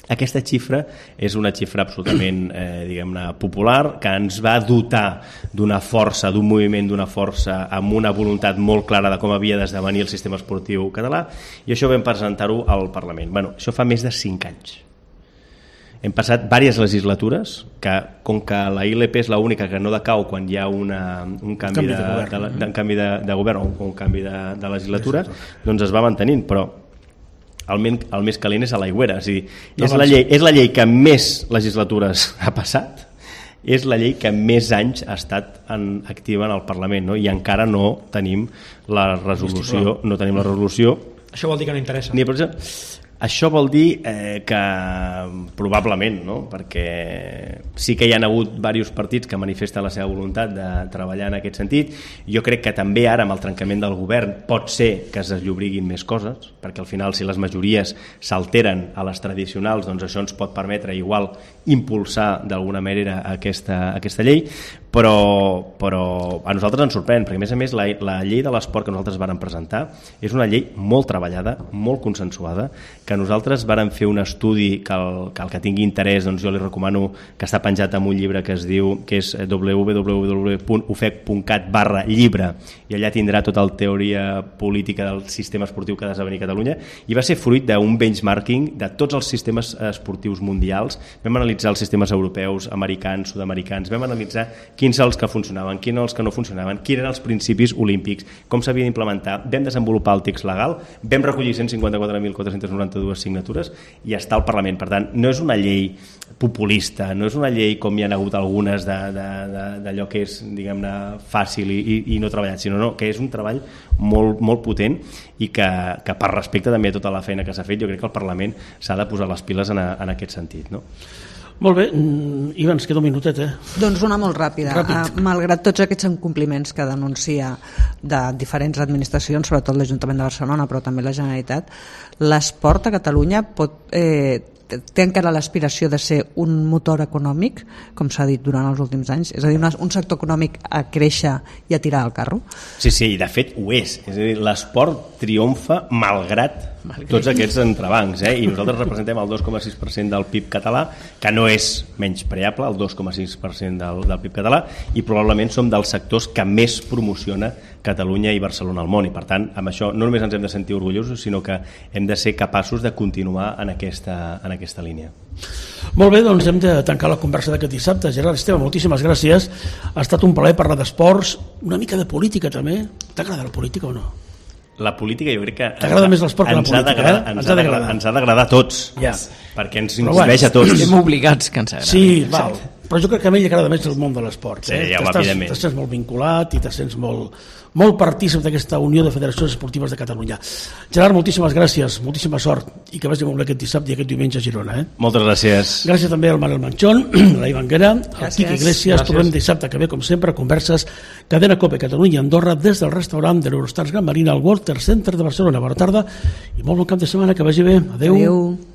aquesta xifra és una xifra absolutament eh, diguem-ne popular, que ens va dotar d'una força, d'un moviment, d'una força amb una voluntat molt clara de com havia d'esdevenir el sistema esportiu català, i això vam presentar-ho al Parlament. Bueno, això fa més de cinc anys. Hem passat diverses legislatures que, com que la I L P és l'única que no decau quan hi ha una, un canvi, de, de, de, de, un canvi de, de govern o un, un canvi de, de legislatura, doncs es va mantenint, però el, men, el més calent és a l'aigüera. És, dir, és, la llei, és la llei que més legislatures ha passat, és la llei que més anys ha estat en, activa en el Parlament, no? I encara no tenim la resolució, no tenim la resolució. Això vol dir que no interessa. Ni per exemple, això vol dir eh, que probablement, no? Perquè sí que hi ha hagut diversos partits que manifesten la seva voluntat de treballar en aquest sentit. Jo crec que també ara amb el trencament del govern pot ser que es desllobriguin més coses, perquè al final si les majories s'alteren a les tradicionals, doncs això ens pot permetre igual impulsar d'alguna manera aquesta, aquesta llei, però, però a nosaltres ens sorprèn, perquè a més a més la, la llei de l'esport que nosaltres vàrem presentar és una llei molt treballada, molt consensuada, que nosaltres vàrem fer un estudi que el que, el que tingui interès, doncs jo li recomano, que està penjat en un llibre que es diu, que és w w w punt u f e c punt cat barra llibre, i allà tindrà tota la teoria política del sistema esportiu que ha d'esdevenir a Catalunya, i va ser fruit d'un benchmarking de tots els sistemes esportius mundials. Vam analitzar els sistemes europeus, americans, sud-americans, vam analitzar quins els que funcionaven, quins els que no funcionaven, quins eren els principis olímpics, com s'havia d'implementar, vam desenvolupar el text legal, vam recollir cent cinquanta-quatre mil quatre-cents noranta-dues signatures i està al Parlament. Per tant, no és una llei populista, no és una llei com hi ha hagut algunes d'allò que és, diguem-ne, fàcil i, i, i no treballat, sinó no, que és un treball molt, molt potent i que, que per respecte també a tota la feina que s'ha fet, jo crec que el Parlament s'ha de posar les piles en, a, en aquest sentit, no? Molt bé, Ivan, ens queda un minutet, eh? Doncs una molt ràpida. Ràpid. Malgrat tots aquests incompliments que denuncia de diferents administracions, sobretot l'Ajuntament de Barcelona, però també la Generalitat, l'esport a Catalunya pot, eh, té encara l'aspiració de ser un motor econòmic, com s'ha dit durant els últims anys, és a dir, un sector econòmic a créixer i a tirar el carro? Sí, sí, i de fet ho és. És a dir, l'esport triomfa malgrat tots aquests entrebancs, eh? I nosaltres representem el dos coma sis per cent del P I B català, que no és menyspreable, el dos coma sis per cent del, del P I B català, i probablement som dels sectors que més promociona Catalunya i Barcelona al món, i per tant amb això no només ens hem de sentir orgullosos, sinó que hem de ser capaços de continuar en aquesta, en aquesta línia. Molt bé, doncs hem de tancar la conversa d'aquest dissabte. Gerard Esteve, moltíssimes gràcies, ha estat un plaer parlar d'esports, una mica de política també. T'agrada la política o no? La política jo crec que t'agrada més l'esport que la política, eh? Ens ha d'agradar, ens ha d'agradar a tots, ja. Perquè ens incideix a tots. Estem obligats que ens agradi. Sí, val. Però jo crec que a mi li agrada més el món de l'esport. Sí, ja, evidentment. Te sents molt vinculat i te sents molt, molt partícip d'aquesta Unió de Federacions Esportives de Catalunya. Gerard, moltíssimes gràcies, moltíssima sort i que vagi molt bé aquest dissabte i aquest diumenge a Girona. Eh? Moltes gràcies. Gràcies també al Manel Manchón, a la Ivanguera, al Quique Iglesias. Trobem dissabte que ve, com sempre, converses Cadena Cope Catalunya i Andorra des del restaurant de l'Eurostars Gran Marina al Walter Center de Barcelona. Bona tarda i molt bon cap de setmana, que vagi bé. Adéu. Adéu.